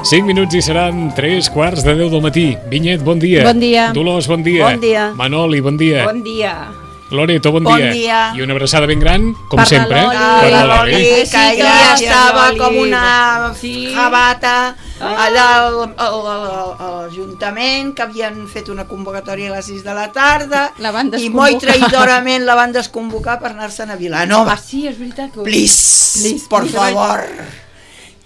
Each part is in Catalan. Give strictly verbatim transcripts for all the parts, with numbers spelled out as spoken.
cinc minuts i seran tres quarts de deu del matí. Vinyet, bon dia. Bon dia. Dolors, bon dia. Bon dia. Manoli, bon dia. Bon dia. Loreto, bon, Bon dia. dia. I una abraçada ben gran, com Per la sempre. Loli. Per la La Loli, Loli. que ja estava com una Sí. jabata allà al, al, al, a l'Ajuntament, que havien fet una convocatòria a les sis de la tarda La van i desconvocar. molt traïdorament la van desconvocar per anar-se'n a Vilanova. Ah, sí, és veritat que... Please, Please, por please. favor.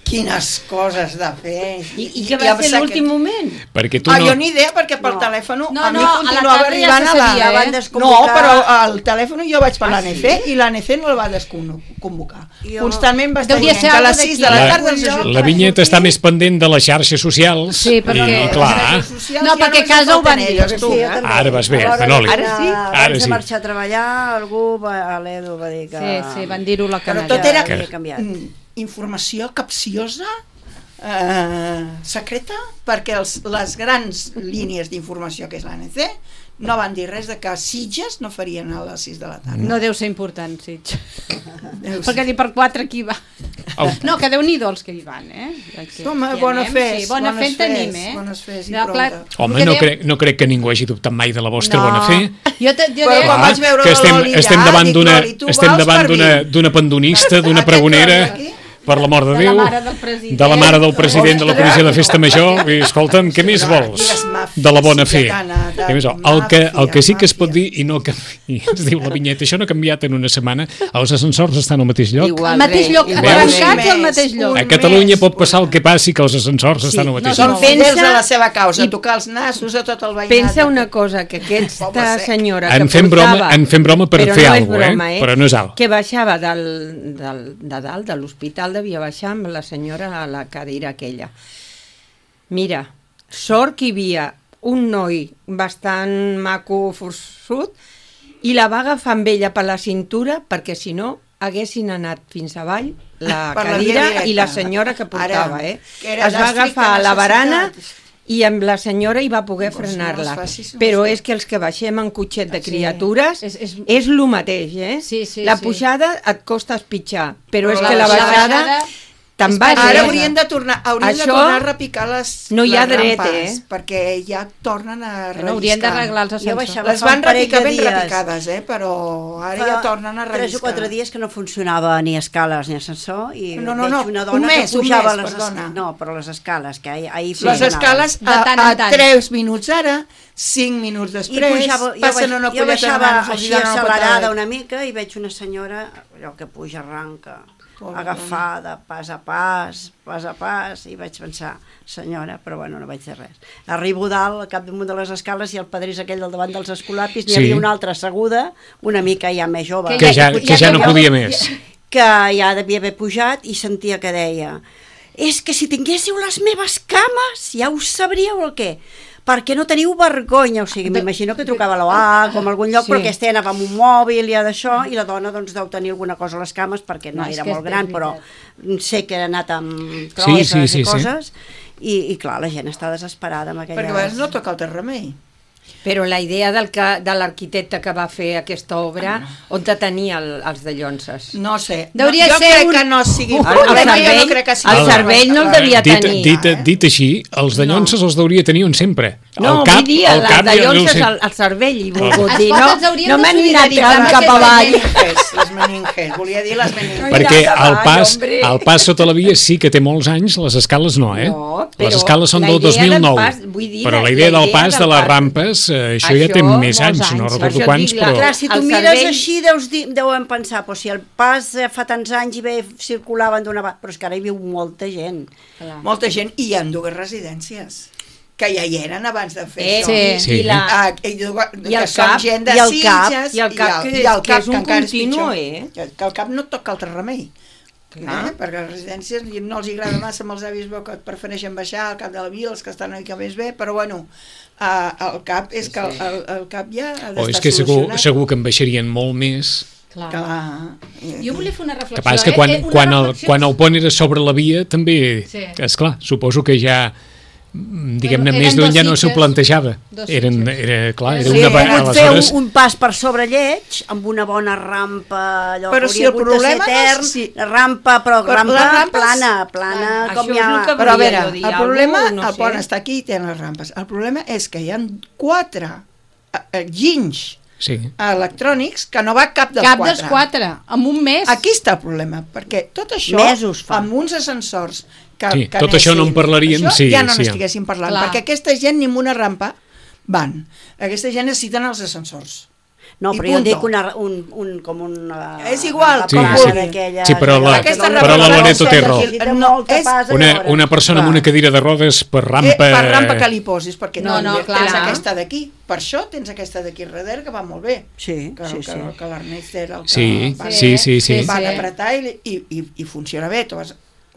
Quines coses de fer. I, i què va em ser sap l'últim que- moment? Perquè tu Ah, no... jo ni idea, perquè per No. telèfon No, a mi no, a la continuava tarda ja arribant se a la... sabia, la van eh? desconvocar. No, però al telèfon jo vaig per Ah, l'A N C sí? i l'A N C no el va desconvocar. Jo- Constantment va estar Deuria dient ser que a algo les sis de la d'aquí. tarda... La- els ajuntaments- La Vinyet està més pendent de les xarxes socials. Sí, perquè- I, Les clar, xarxes socials No, ja perquè només casa ho van falten dir, elles, que tu. Sí, jo també. Ara vas bé, A l'hora Manoli. d'anar- Ara sí? Abans Ara de sí. marxar a treballar, algú, va, l'Edu va dir que... Sí, sí, van dir-ho a la Però canalla. tot era Que havia canviat. mm, informació capciosa, eh, secreta, perquè els, les grans línies d'informació que és l'A N C no van dir res de que Sitges no farien a les sis de la tarda. No deu ser important, sí. Deu ser. Perquè ni per quatre aquí va. Au. No, que Déu-n'hi-do els que hi van, eh? Que, Home, que hi bona anem, fes, sí, bona bones fe en tenim, fes, eh? bones fes i No, prou clar, de- Home, que no dèiem- crec, no crec que ningú hagi dubtat mai de la vostra No. bona fe. Jo, te, jo Però deia... quan vaig veure que la estem, Loli estem allà, davant dic, d'una Loli, tu estem vols davant per d'una mi? d'una pandonista, d'una Aquest pregonera, tros d'aquí? per l'amor de De la Déu, mare del president. de la mare del president de la comissió de festa major. I, escolta'm, què més vols Digues màfia, de la bona fe? siciliana, de Què més vols? El que, el que sí que es màfia. pot dir, i no canvi, ens diu la Vinyeta, això no ha canviat en una setmana, els ascensors estan al mateix lloc. Al mateix lloc, Veus? tancats al mateix lloc. A Catalunya pot passar el que passi, que els ascensors estan al mateix Són lloc. fidels Pensa- a la seva causa, i- tocar els nassos a tot el veïnat. Pensa una cosa, que Poble aquesta sec. senyora que En fem broma, portava... en fem broma per però fer no és alguna cosa, broma, eh? Però no és alt. Que baixava del, del, de dalt, de l'hospital, devia baixar amb la senyora a la cadira aquella. Mira, sort que hi havia un noi bastant maco, forçut, i la va agafar amb ella per la cintura, perquè si no haguessin anat fins avall la Per la via cadira directa. i la senyora que portava, Ara, eh? que era Es va d'estricta agafar a la barana necessitat. i amb la senyora hi va poder Doncs no frenar-la. es facis, no Però es és que els que baixem en cotxet de Sí. criatures És- és, és- és lo mateix, eh? Sí, sí, la sí. pujada et costa espitxar, però, Però és la que la baixada- baixada te'n és vas. Ara eh? haurien de tornar, haurien Això de tornar a repicar les, no hi ha les dret, rampes, eh? perquè ja tornen a Bueno, haurien de relliscar. arreglar els Jo ascensors. baixava Les fa van un parell repicar de ben dies. repicades, eh? Però ara Fa ja tornen a relliscar. tres o quatre dies que no funcionava ni escales ni ascensor i No, no, veig no, una un dona mes, que un pujava mes, les perdona. No, però les escales, que ahir, ahir Les funcionaven. escales De tant a, en tant. a tres minuts ara, cinc minuts I després, pujava, jo, passen baix, una jo colleta de baixava mans, els així donen una accelerada patada. una mica i veig una senyora, allò que puja arranca, Pobra agafada, pas a pas, pas a pas, i vaig pensar, senyora, però bueno, no vaig dir res. Arribo dalt, al capdamunt de les escales, i el padrí és aquell del davant dels escolapis, n'hi Sí. havia una altra asseguda, una mica ja més jove, Que ja, que ja no ja- podia més. que ja devia haver pujat i sentia que deia és que si tinguéssiu les meves cames ja ho sabríeu el què, perquè no teniu vergonya, o sigui, m'imagino que trucava a l'O A com a algun lloc, Sí. sí. Però aquesta anava amb un mòbil i d'això, i la dona doncs deu tenir alguna cosa a les cames, perquè no, No, és era que molt és gran, veritat. però sé que ha anat amb Sí, crosses sí, sí, i sí. coses, i, i clar, la gent està desesperada amb aquella... Perquè a vegades no toca altre remei. Però la idea del que, de l'arquitecte que va fer aquesta obra, on te tenia el, els de Llonses? No sé. Deuria no, jo ser crec un- que no sigui... El, el, cervell, no crec que sigui el cervell no el devia Dit, tenir. dit, dit així, els de Llonses els deuria tenir on sempre. No, el cap, vull dir, el el, cap de ja no ho Llonses, sé. el, el cervell, i volgut Els dir, no, potes haurien no de m'han anat solidaritzar tant amb cap aquest avall. Meninges, les meninges, volia dir les meninges. Perquè Mira, el davall, pas, hombre. el pas sota la via sí que té molts anys, les escales no, eh? No, però les escales són la del idea dos mil nou. del pas, vull dir, però la- la idea la del idea pas del de les pas. rampes, eh, això, ja Això, té més molts anys, anys. no Per recordo això quants, dic, la- però... Clar, si tu El mires cervell- així deus dir, deuen pensar, però si el pas eh, fa tants anys i bé circulaven d'una banda, però és que ara hi viu molta gent. Molta gent, i hi ha dues residències que ja hi eren abans de fer Eh, això. sí. Sí. I, la, Ah, i, i I el són cap, gent de i el cap, Sitges, i el cap, que és- que és un encara continu, pitjor. eh? Que, que el cap no et toca altre remei. Clar. Eh? Perquè a les residències no els agrada massa, amb els avis veu que prefereixen baixar al cap de la vila, els que estan una mica més bé, però bueno, uh, el cap és que el, el, el cap ja ha O d'estar és que segur, solucionat. segur que en baixarien molt més. Clar. Clar. Jo volia fer una reflexió, El que passa és que quan, eh? Una quan, el, reflexió- quan el pont era sobre la via també, Sí. és clar, suposo que ja mm, diguem-ne, Bueno, més eren d'un ja dos no s'ho sitges. plantejava. Dos Eren, sitges. era, clar, era Sí, una... He va- pogut fer un, aleshores, un pas per sobre lleig, amb una bona rampa, allò Però que si hauria el hagut de ser problema no és etern, si- la rampa, però, Però rampa les rampes- plana, plana, Això com és hi ha... el que Però a volia veure, jo dir, el problema, algú, no el sé. pont està aquí i tenen les rampes. El problema és que hi ha quatre eh, eh, ginys sí. electrònics que no va cap dels Cap quatre. dels quatre, en un mes. Aquí està el problema, perquè tot això, Mesos fa. amb uns ascensors que, Sí, que tot això no en anessin- parlarien, això sí, ja no sí. n'estiguéssim parlant, Clar. perquè aquesta gent ni amb una rampa van. Aquesta gent necessiten els ascensors. No, I però jo punto. dic una, un, un, com una... És igual, Sí, rampa sí. plana d'aquelles- Sí, però la- Aquesta però rampa la no Loreto té raó. necessita No, molta és pas a Una, veure. una persona amb Clar. una cadira de rodes per rampa... Eh, per rampa que li posis, perquè No, no, no, tens clar. aquesta d'aquí. Per això tens aquesta d'aquí darrere, que va molt bé. Sí, Que, sí, que, sí. que l'Ernest era el que Sí, va, sí, sí, sí. van sí. apretar i, i, i, i funciona bé. Tu vas,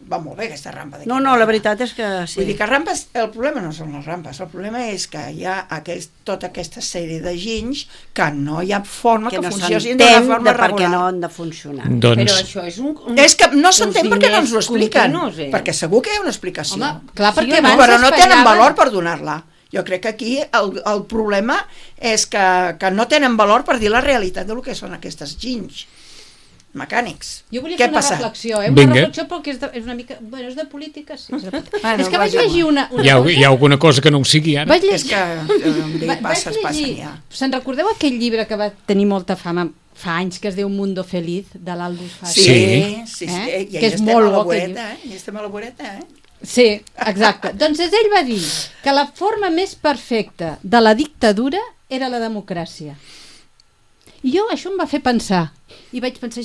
va molt bé aquesta rampa d'aquí. No, no, la veritat és que sí. Vull dir que rampes, el problema no són les rampes, el problema és que hi ha aquest, tota aquesta sèrie de ginys que no hi ha forma que, que no funcionin d'una s'entén forma de per què regular. no han de funcionar. Doncs, Però això és un... un És que no uns s'entén perquè no ens ho diners expliquen, continus, eh? perquè segur que hi ha una explicació. Home, clar, Sí perquè o no? abans però no es tenen fallaven- valor per donar-la. Jo crec que aquí el, el problema és que, que no tenen valor per dir la realitat del que són aquestes ginys mecànics. Jo volia Què fer una passa? reflexió, eh? Una Vinga. reflexió perquè és, de, és una mica... Bueno, és de política, sí. És, de política. Bueno, és que vaig vaja. llegir una, una hi ha, cosa... hi ha alguna cosa que no ho sigui ara? Vaig És llegir... que eh, em dic, Va- passes, vaig passen llegir- ja. Se'n recordeu aquell llibre que va tenir molta fama fa anys, que es diu Mundo Feliz, de l'Aldous Sí, Huxley? sí, sí, Eh? eh? i Que ahí és estem molt a la bo, aquell voreta, eh? I estem a la voreta, eh? Sí, exacte. Doncs ell va dir que la forma més perfecta de la dictadura era la democràcia. I jo això em va fer pensar. I vaig pensar,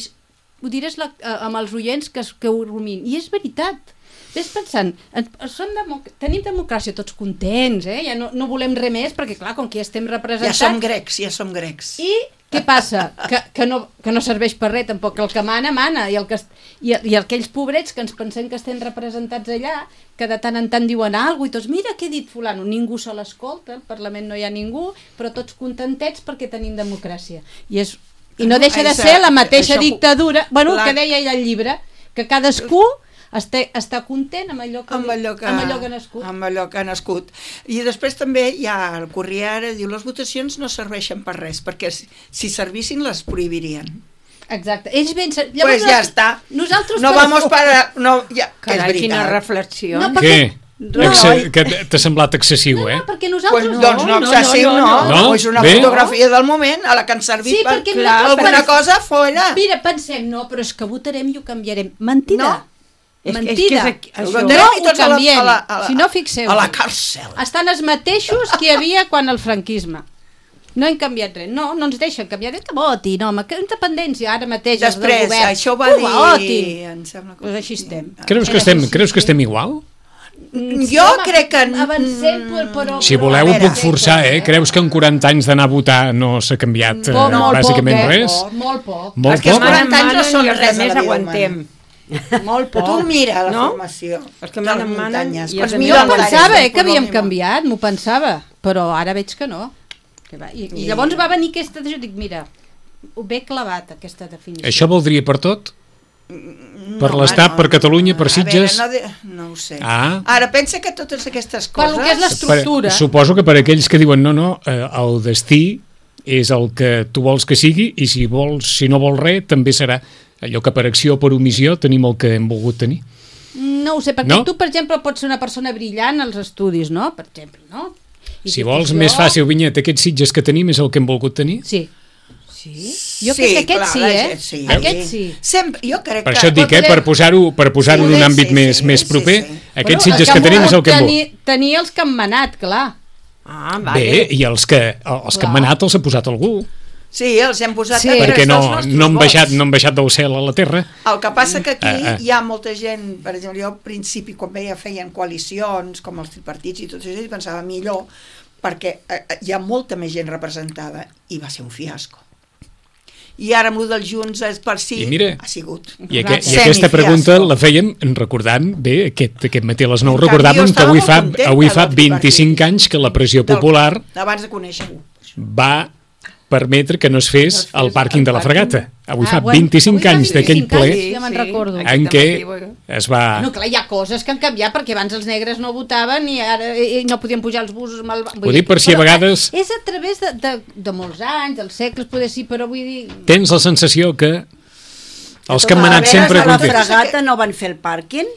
ho diré la, amb els oients que, que ho rumin. I és veritat. Ves pensant, en- som democ tenim democràcia tots contents, eh? Ja no, no volem res més, perquè clar, com que ja estem Ja representats... som grecs, ja som grecs. I què passa? Que, que, no, que no serveix per res tampoc, que el que mana, mana, i, el que, es- i, i aquells pobrets que ens pensem que estem representats allà, que de tant en tant diuen alguna cosa, i tots, mira què ha dit fulano, ningú se l'escolta, al Parlament no hi ha ningú, però tots contentets perquè tenim democràcia. I, és, i no deixa de ser la mateixa Això- dictadura, bueno, la- que deia ell al llibre, que cadascú està, està content amb allò que, amb allò que, amb allò que ha nascut. amb allò que ha nascut. I després també hi ha el Corriere, diu, les votacions no serveixen per res, perquè si, si servissin les prohibirien. Exacte. Ells ben... Doncs pues ja està. Nosaltres No vamos para... No, ja, que és Carai, quina veritat. reflexió. No, Què? No, Exce que t'ha semblat excessiu, eh? No, perquè Pues, nosaltres... doncs no, excessiu no, no, no. no. És una Bé. fotografia del moment a la que han servit Sí, per perquè clar, nosaltres alguna pensem- cosa fora. Mira, pensem, no, però és que votarem i ho canviarem. Mentida. No. És que- és que Mentida. és aquí- Ho això- votarem No i ho tots a la- canviem. a la- a la- Si no, fixeu a la càrcel. Estan els mateixos que hi havia quan el franquisme. No hem canviat res. No, no ens deixen canviar. Que votin, home, que independència. Ara mateix els del Després, govern. això ho va que dir... votin. Em sembla que... Pues així estem. Creus que estem, creus que estem igual? Jo Home, crec que... Avancem, però... però Si voleu A ho veure, puc forçar, eh? Creus que en quaranta anys d'anar a votar no s'ha canviat eh, Molt, molt bàsicament poc, eh? res? Molt poc. Molt Perquè els poc? quaranta anys no manen són i els res a la més vida aguantem. Molt poc. Tu mira la No? formació Els que de les manen, manen, muntanyes. i Pues els mira Jo el Valles pensava del eh, que havíem Polònia. canviat, m'ho pensava, però ara veig que no. Que va. I, I llavors va venir aquesta... Jo dic, mira, ho ve clavat, aquesta definició. Això valdria per tot? Per l'Estat, per Catalunya, per Sitges? A veure, no, de... no ho sé. Ah. Ara, pensa que totes aquestes coses... Per lo que és l'estructura. Per, suposo que per aquells que diuen no, no, eh, el destí és el que tu vols que sigui i si vols, si no vols res, també serà allò que per acció o per omissió tenim el que hem volgut tenir. No ho sé, perquè No? tu, per exemple, pots ser una persona brillant als estudis, no? Per exemple, no? I Si dius, vols jo- més fàcil, Vinyet, aquests Sitges que tenim és el que hem volgut tenir? Sí. Sí? Jo crec que aquest clar, sí, la eh? gent sí. Aquest sí. Sempre, jo crec Per que... això et dic, eh, per posar-ho per posar-ho en un Sí, àmbit sí, més, sí, més sí, proper, sí. aquests Bueno, Sitges el que tenim és el que hem tenir, volgut. tenir els que han manat, clar. Ah, Bé, vale. i els que, els que han Clar. manat els ha posat algú, Sí, els hem posat Sí. a perquè tres no, dels nostres no, han vots. baixat, no han baixat del cel a la terra. El que passa que aquí Ah, ah. hi ha molta gent, per exemple, jo al principi quan veia feien coalicions, com els tripartits i tot això, i pensava millor, perquè eh, hi ha molta més gent representada, i va ser un fiasco. I ara amb el dels Junts és per si I mira, ha sigut. I, aqu i Semifiasco. aquesta pregunta la fèiem recordant, bé, aquest, aquest matí a les nou En canvi, recordàvem jo que estava avui molt fa, contenta avui fa del vint-i-cinc tripartit. anys que la pressió Del- popular Abans de conèixer-ho. va permetre que no es fes No es fes el pàrquing el de la pàrquing. fregata. Avui Ah, fa bueno, vint-i-cinc avui fa anys d'aquell vint-i-cinc ple anys, ja me'n recordo. en què es va... No, clar, hi ha coses que han canviat perquè abans els negres no votaven i ara i no podien pujar els busos amb el... Ho dic per si a Però, vegades- És a través de, de, de molts anys, dels segles, poder sí, però vull dir... Tens la sensació que els que han A manat veure, sempre a la contents. fregata no van fer el pàrquing,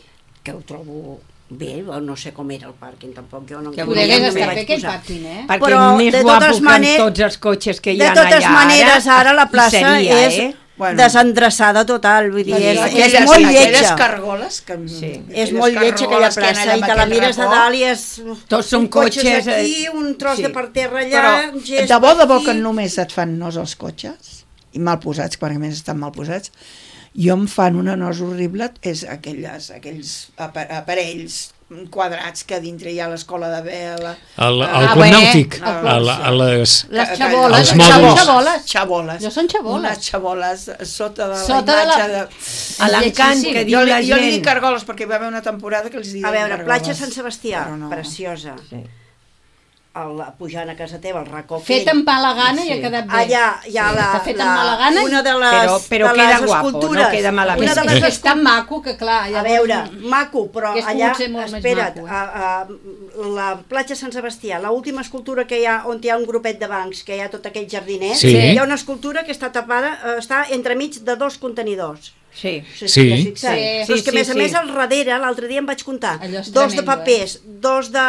que ho trobo bé, o no sé com era el pàrquing, tampoc jo no... Que Poder ja hagués no estat vaig bé aquell posar. pàrquing, eh? Perquè Però, més de guapo totes que maneres- amb tots els cotxes que hi De ha totes allà maneres, ara la hi plaça seria, és eh? Bueno. desendreçada total, vull dir, és, és Aquelles, molt aquelles lletja. cargoles que... Sí. És molt lletja aquella plaça i te la mires de dalt i és... Tots són un cotxes cotxes, eh, aquí, un tros sí. de per terra allà, Però gest de bo de bo aquí. que només et fan nos els cotxes i mal posats, quan a més estan mal posats, jo em fan una nosa horrible, és aquelles, aquells apa- aparells quadrats que dintre hi ha l'escola de vela, El, el Ah, club bé, nàutic, el a, la, a les... Les que- xaboles, els són mòduls. xaboles. xaboles. Jo són xaboles. Unes xaboles sota de Sota la de la- imatge de... A l'encant Lletjíssim. que diu Jo, li, la jo li dic gent. cargoles perquè hi va haver una temporada que els diuen A veure, cargoles. platja Sant Sebastià, Però no. preciosa. Sí. El, pujant a casa teva, el racó Fet aquell. amb mala gana i ha Sí. quedat bé. Allà hi ha Sí, la, està fet amb la, mala gana i- una de les, Però- però de queda les guapo, escultures. no queda malament. Una de És, les és tan maco que clar... A llavors- veure, maco, però Hauria allà, pogut ser molt més espera't, maco, eh? a, a, la platja Sant Sebastià, l'última escultura que hi ha, on hi ha un grupet de bancs, que hi ha tot aquell jardinet, Sí. hi ha una escultura que està tapada, eh, està entremig de dos contenidors. Sí. No sé si Sí. t'hi has fixat. Sí. Però és que, a Sí, més a sí, més, sí. al darrere, l'altre dia em vaig comptar, Allò és dos de tremendo, papers, dos de,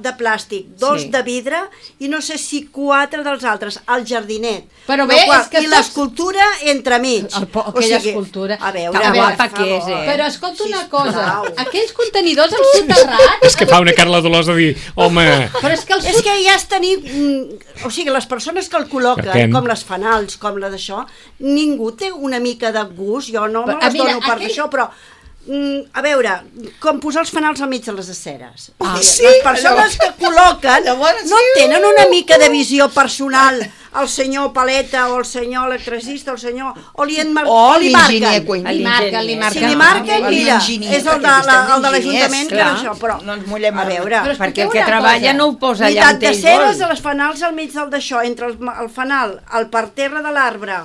de plàstic, dos Sí. de vidre, i no sé si quatre dels altres, al jardinet. Però No, bé, qual- és que I tots- l'escultura entremig. El po- aquella escultura. A veure, Tan per guapa favor. que és, eh? Però escolta una Sisplau. cosa, aquells contenidors al soterrat... És que fa una Carla Dolors de dir, home, Però és que el És que ja és tenir... mm, O sigui, les persones que el col·loquen, Perquè- com les fanals, com la d'això, ningú té una mica de gust, jo no me Però, les mira, dono per aquell- això, però... mm, a veure, com posar els fanals al mig de les aceres. Ah, O sí? sigui, les persones que col·loquen Llavors, no sí. tenen una mica de visió personal, el senyor paleta o el senyor electricista o el senyor... o li, enmar... O li l'enginyer marquen. Cuini. Li marquen, li marquen. Si li marquen, O mira, l'enginyer, és el de, perquè la, estem el de l'Ajuntament enginyers, que clar. això, però No ens mullem a a- veure, Però Perquè el expliqueu que una treballa cosa. no ho posa allà Unitat on de ell ceres de vol. les fanals al mig del d'això, entre el, el fanal, el parterre de l'arbre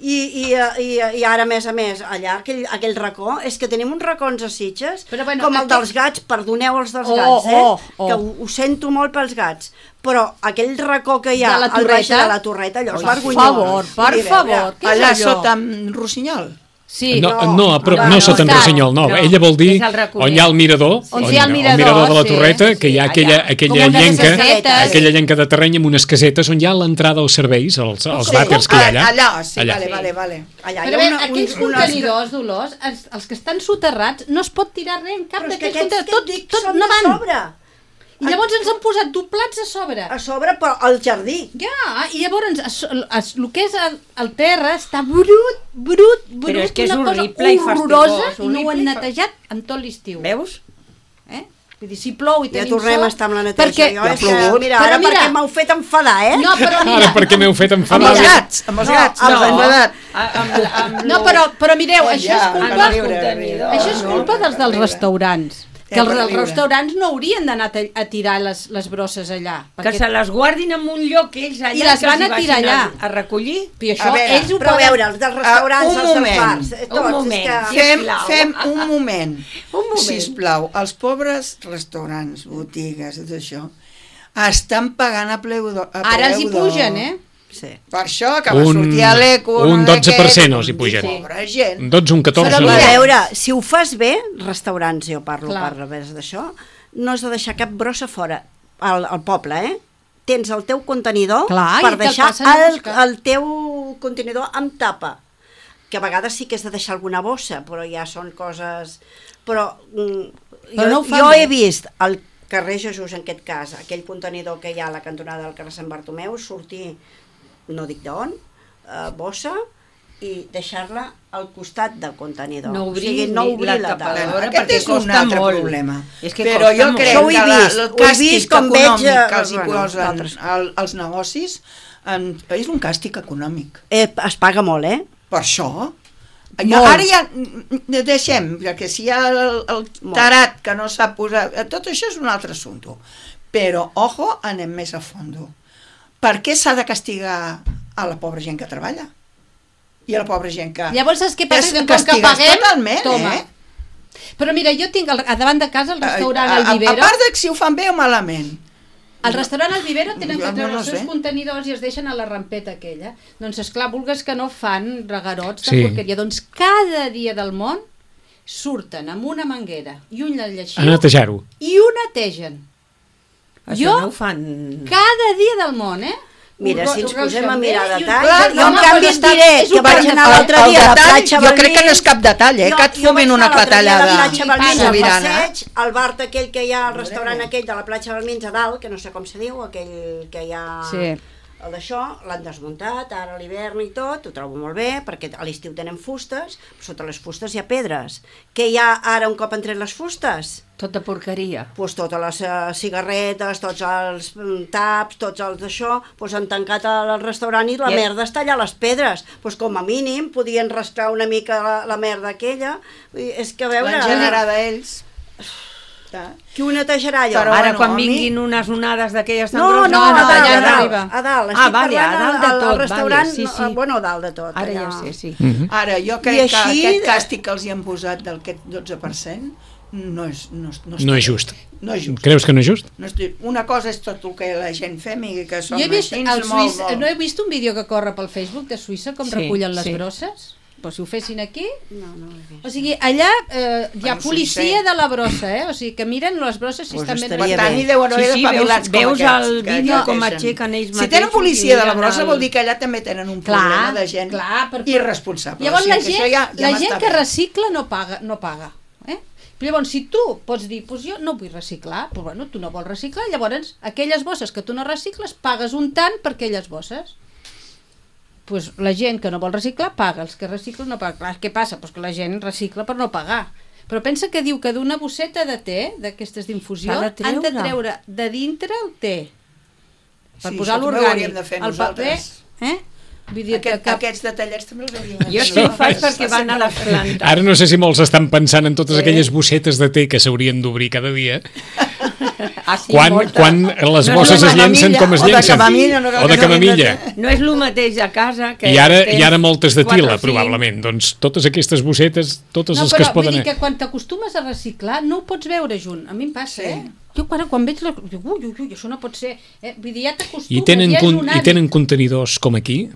i, i, i, i ara, a més a més, allà, aquell, aquell racó, és que tenim uns racons a Sitges, Però, bueno, com el aquest- dels gats, perdoneu els dels Oh, gats, eh? oh, oh. Que ho, ho sento molt pels gats, però aquell racó que hi ha De la al baix de Torreta? la Torreta, allò és Per vergonyós. favor, per Vull dir, a veure, favor, què és Allà allò? sota amb Rossinyol. Sí, no, no, no, però no, no no, sota en no, Rossinyol, no, no, ella vol dir és el raconet. on hi ha el mirador, On hi ha el el mirador, mirador de la sí, Torreta, que hi ha sí, aquella, allà. aquella Com unes llenca, casetes. aquella llenca de terreny amb unes casetes on hi ha l'entrada als serveis, als, als Sí. vàters que hi ha allà. Allà, sí, Allà. vale, vale, vale. Allà Però hi a ha veure, una, aquells un, unes- contenidors d'olors, els, els que estan soterrats, no es pot tirar res en cap Però és que d'aquells aquests contenidors, que et tot, dic tot són no de van. sobre. I llavors ens han posat doblats a sobre. A sobre, però al jardí. Ja, i llavors es, es, el que és el, el terra està brut, brut, brut, Però és que és una cosa horrible i horrorosa, fastigós, i no ho horrible han i fa- netejat en tot l'estiu. Veus? Eh? Vull dir, si plou i Ja tenim tornem sol... a estar amb la neteja. Perquè... Jo, és que, plogut. mira, Però ara mira- perquè m'heu fet enfadar, eh? No, però mira... Ara, per què m'heu fet Amb enfadar? els gats, amb els No, gats, amb els els- enredat. Amb, amb No, però, però mireu, Oh, això ja, és a culpa, riure, a riure. això és culpa dels dels restaurants. Que els, per els viure. restaurants no haurien d'anar a, a tirar les, les brosses allà. Que se les guardin en un lloc ells allà I les que van els hi a tirar vagin allà. A, a recollir. I això A veure, ells ho Però a poden... veure, els dels restaurants, Ah, un els dels moment. bars, eh, Un tots, moment. és que... Fem, Sisplau. fem un moment, Un moment. sisplau. Els pobres restaurants, botigues, tot això, estan pagant a preu d'or. Ara els hi pugen, eh? Sí. Per això que va Un- sortir a l'eco... un no sé dotze per cent què, els hi pugen. Pobra gent. Un dotze, un catorze... Però A mira, veure, si ho fas bé, restaurants, jo parlo Clar. per revés d'això, no has de deixar cap brossa fora al, al poble, eh? Tens el teu contenidor Clar, i per te'l deixar passen a el, buscar. el teu contenidor amb tapa, que a vegades sí que has de deixar alguna bossa, però ja són coses... Però, mm, Però jo, no ho fan jo bé. he vist al carrer Jesús, en aquest cas, aquell contenidor que hi ha a la cantonada del carrer Sant Bartomeu, sortir, no dic d'on, eh, bossa, i deixar-la al costat del contenidor. No obrir o sigui, no ni obrir la la tapa. tapadora. Aquest perquè és un costa altre molt. problema. És que Però costa jo molt. crec Això ho he que la, vist, el ho he càstig vist com veig, econòmic eh, que els hi bueno, posen altres. al, als negocis en, és un càstig econòmic. Eh, es paga molt, eh? Per això... Ja, Molt. ara ja mm, deixem, perquè si hi ha el, el tarat que no sap posar... Tot això és un altre assumpte. Però, ojo, anem més a fondo. Per què s'ha de castigar a la pobra gent que treballa? I a la pobra gent que... Llavors, saps què passa? És Que com que castigues paguem, totalment, toma. eh? Però mira, jo tinc al, a davant de casa el restaurant a, El a, Vivero. a part de que si ho fan bé o malament. Al restaurant El Vivero tenen Jo que treure no els seus sé. contenidors i es deixen a la rampeta aquella. Doncs, esclar, vulgues que no fan regarots de Sí. porqueria. Doncs cada dia del món surten amb una manguera i un A lleixiu netejar-ho. i ho netegen. Això Jo- no ho fan... Cada dia del món, eh? Mira, Ho- si ens ho posem a reixen mirar bé i ho- detalls, Clar, jo no, en no, canvi però et està- diré és que un vaig bon anar detall. l'altre El dia a la detall, platja jo crec que no és cap detall, eh? Jo- Que et jo vaig fumin anar una l'altre dia a clatellada la platja Balmins, al sobirana. passeig, al bar aquell que hi ha, al restaurant aquell de la platja Balmins a dalt, que no sé com se diu, aquell que hi ha... Sí. El d'això l'han desmuntat, ara a l'hivern i tot, ho trobo molt bé, perquè a l'estiu tenen fustes, però sota les fustes hi ha pedres. Què hi ha ara un cop han tret les fustes? Tota porqueria. Pues totes les uh, cigarretes, tots els mm, taps, tots els d'això, pues han tancat el restaurant i la I- merda està allà a les pedres. Pues com a mínim podien rascar una mica la, la merda aquella. I és que a veure... L'han generada ells. Qui ho netejarà allò? Però Ara, bueno, quan a mi- vinguin unes onades d'aquelles tan No, no, grosses... no, a no, dalt, allà a no dalt, arriba. a dalt. Ah, Estic vale, a parlant dalt de al- tot, al restaurant, vale, sí, sí. eh, bueno, a dalt de tot. Ara ja allà. sé, sí. Mhm. Ara, jo I crec que així- aquest càstig que els hi han posat del dotze per cent no és, no, és- no, No està és bé. just. No és just. Creus que no és just? No estic... Una cosa és tot el que la gent fem i que som Jo he vist, així, el molt, Suïssa, molt... no he vist un vídeo que corre pel Facebook de Suïssa com Sí, recullen les sí. brosses? Però si ho fessin aquí... No, no ho he vist. O sigui, allà eh, hi ha Bueno, policia Suïssa. de la brossa, eh? O sigui, que miren les brosses si Pues estan ben... Per estaria tant, bé. hi deuen Sí, haver sí, espavilats veus- com veus aquests. el que vídeo no com deixen. aixequen ells Si tenen mateixos policia i de la miren brossa el- vol dir que allà també tenen un Clar, problema de gent clar, per- irresponsable. Llavors O sigui la que gent, això ja, ja la m'està gent que bé. recicla no paga, no paga. Eh? Però llavors, si tu pots dir, pues jo no vull reciclar, però bueno, tu no vols reciclar, llavors aquelles bosses que tu no recicles pagues un tant per aquelles bosses. Pues la gent que no vol reciclar paga, els que reciclen no paguen. Clar, què passa? Pues que la gent recicla per no pagar. Però pensa que diu que d'una bosseta de te, d'aquestes d'infusió, S'ha de han de treure. treure de dintre el te. Per Sí, posar això també ho l'orgànic. hauríem de fer El paper, nosaltres. eh? Vull dir Aquest, que, que Aquests detallets també els hauríem de fer. Jo sí ho faig perquè van a les plantes. Ara no sé si molts estan pensant en totes Eh? aquelles bossetes de té que s'haurien d'obrir cada dia, Ah, sí, quan, molta. quan les No, bosses no, es llencen camamilla, com es o de llencen. camamilla, no cal O de que s'haurien de camamilla. No és el mateix a casa que... I ara, tens I ara moltes de quatre o tila, cinc. probablement. Doncs totes aquestes bossetes, totes no, les que però es poden... vull dir que quan t'acostumes a reciclar no ho pots veure junt. A mi em passa, Sí. eh? Jo quan, quan veig la... Dic, ui, ui, ui, això no pot ser. Eh? Vull dir, ja t'acostumes, I tenen, ja és con, un I hàbit. tenen contenidors com aquí?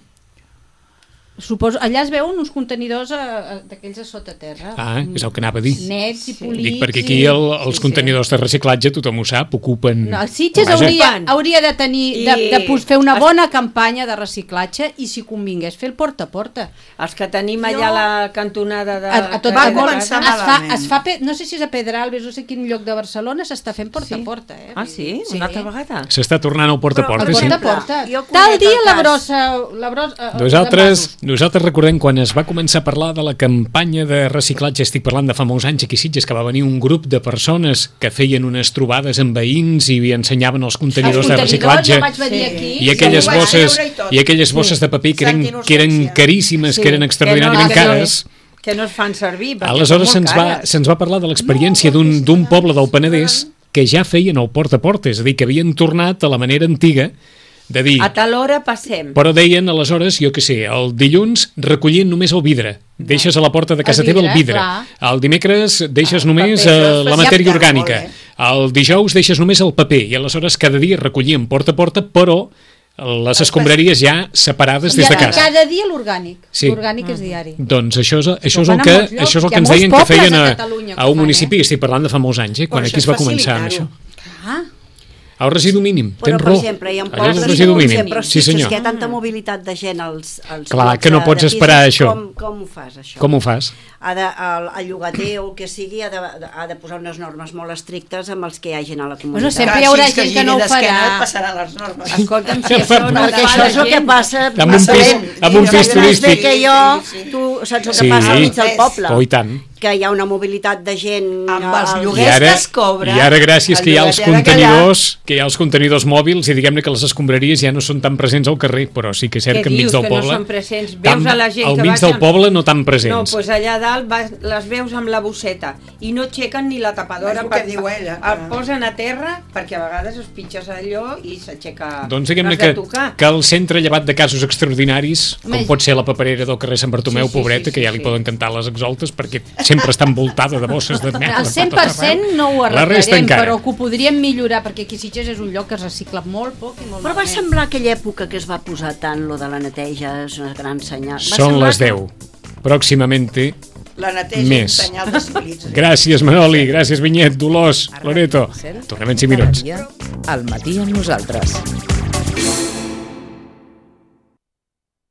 Suposo, allà es veuen uns contenidors a, a, d'aquells a sota terra. Ah, és el que anava a dir. Nets i polits. Dic, perquè aquí i... el, els sí, sí. contenidors de reciclatge, tothom ho sap, ocupen... No, Sitges Vaja. hauria, hauria de tenir de, I- de pos- fer una es- bona campanya de reciclatge i si convingués fer el porta a porta. Els que tenim allà a la cantonada de... A, a tot Va el món es començar fa, malament. es fa pe, no sé si és a Pedralbes, no sé quin lloc de Barcelona s'està fent porta a porta, eh? Ah, sí? Una altra vegada? S'està tornant al porta a Però porta, El sí. porta a porta. Jo conec Tal dia el la cas. brossa... La brossa eh, Nosaltres, de nosaltres recordem quan es va començar a parlar de la campanya de reciclatge, estic parlant de fa molts anys aquí a Sitges, que va venir un grup de persones que feien unes trobades amb veïns i ensenyaven els contenidors Els de contenidors, reciclatge ja vaig venir Sí. aquí. i aquelles ho vaig bosses veure i tot. i aquelles bosses de paper que eren, Sant que eren Innocència. caríssimes, Sí, que eren que extraordinàriament no- que no- cares, Que no es fan servir. Aleshores se'ns va, se'ns va parlar de l'experiència no, d'un d'un poble del Penedès que ja feien el porta a porta, és a dir, que havien tornat a la manera antiga de dir... A tal hora passem. Però deien, aleshores, jo què sé, el dilluns recollien només el vidre. Deixes a la porta de casa El vidre, teva el vidre. clar. El dimecres deixes El només paper, eh, això la és matèria molt orgànica. bé. El dijous deixes només el paper. I aleshores cada dia recollien porta a porta, però les escombraries ja separades des de I casa. cada dia l'orgànic. Sí. L'orgànic és diari. Doncs això és, això és Ho el fan a que, molts llocs. això és el Hi que ha ens molts deien que pobles feien a a, Catalunya que a ho un fan, municipi. Estic parlant de fa molts anys, eh, quan Però aquí es això va és començar amb facilitar-ho. això. Ah, El residu mínim, Però, tens per raó. exemple, hi ha Allò és pobles el residu on mínim. sempre Sí, fixes senyor. que hi ha tanta mobilitat de gent als, als Clar, llocs que no de- pots de esperar pisos. això. Com, com ho fas, això? Com ho fas? Ha de, el, el llogater o el que sigui ha de, ha de posar unes normes molt estrictes amb els que hi ha gent a la comunitat. Bueno, sempre hi haurà Així gent que no ho giri d'esquena farà. et passaran les normes. Escolta'm, si això no Perquè fa això la és el que gent. passa Amb un massa pis- lent. amb un I pis saps més bé turístic. que jo, Sí, sí. tu saps el que Sí. passa al mig del poble. Oh, i tant. Que hi ha una mobilitat de gent... Amb els al- I lloguers ara, que es cobra, I ara gràcies el que hi ha els llogater ha de callar. contenidors, que hi ha els contenidors mòbils i diguem-ne que les escombraries ja no són tan presents al carrer, però sí que és cert Què que enmig dius, del que no poble... són presents? Veus tan- a la gent al que mig vaig del amb- poble no tan No, presents. doncs allà a dalt vas, les veus amb la bosseta i no aixequen ni la tapadora. És el que diu ella, El que- posen a terra perquè a vegades es pitges allò i s'aixeca... Doncs diguem-ne no has que, de tocar. que el centre, llevat de casos extraordinaris, com Home, pot ser la paperera del carrer Sant Bartomeu, Sí, sí, pobreta, sí, que ja sí, li sí. poden cantar les exaltes perquè sempre està envoltada de bosses de merda. el cent per cent no ho La resta arreglarem, encara. però que ho podríem millorar, perquè aquí Sitges és un lloc que es recicla molt poc i molt Però va malament. semblar aquella època que es va posar tant lo de la neteja, és una gran senyal. Va Són semblar les que- deu. Pròximamente La neteja Més. és un senyal de civilització. Gràcies, Manoli, gràcies, Vinyet, Dolors, Loreto. Tornem en cinc minuts. Al matí amb nosaltres.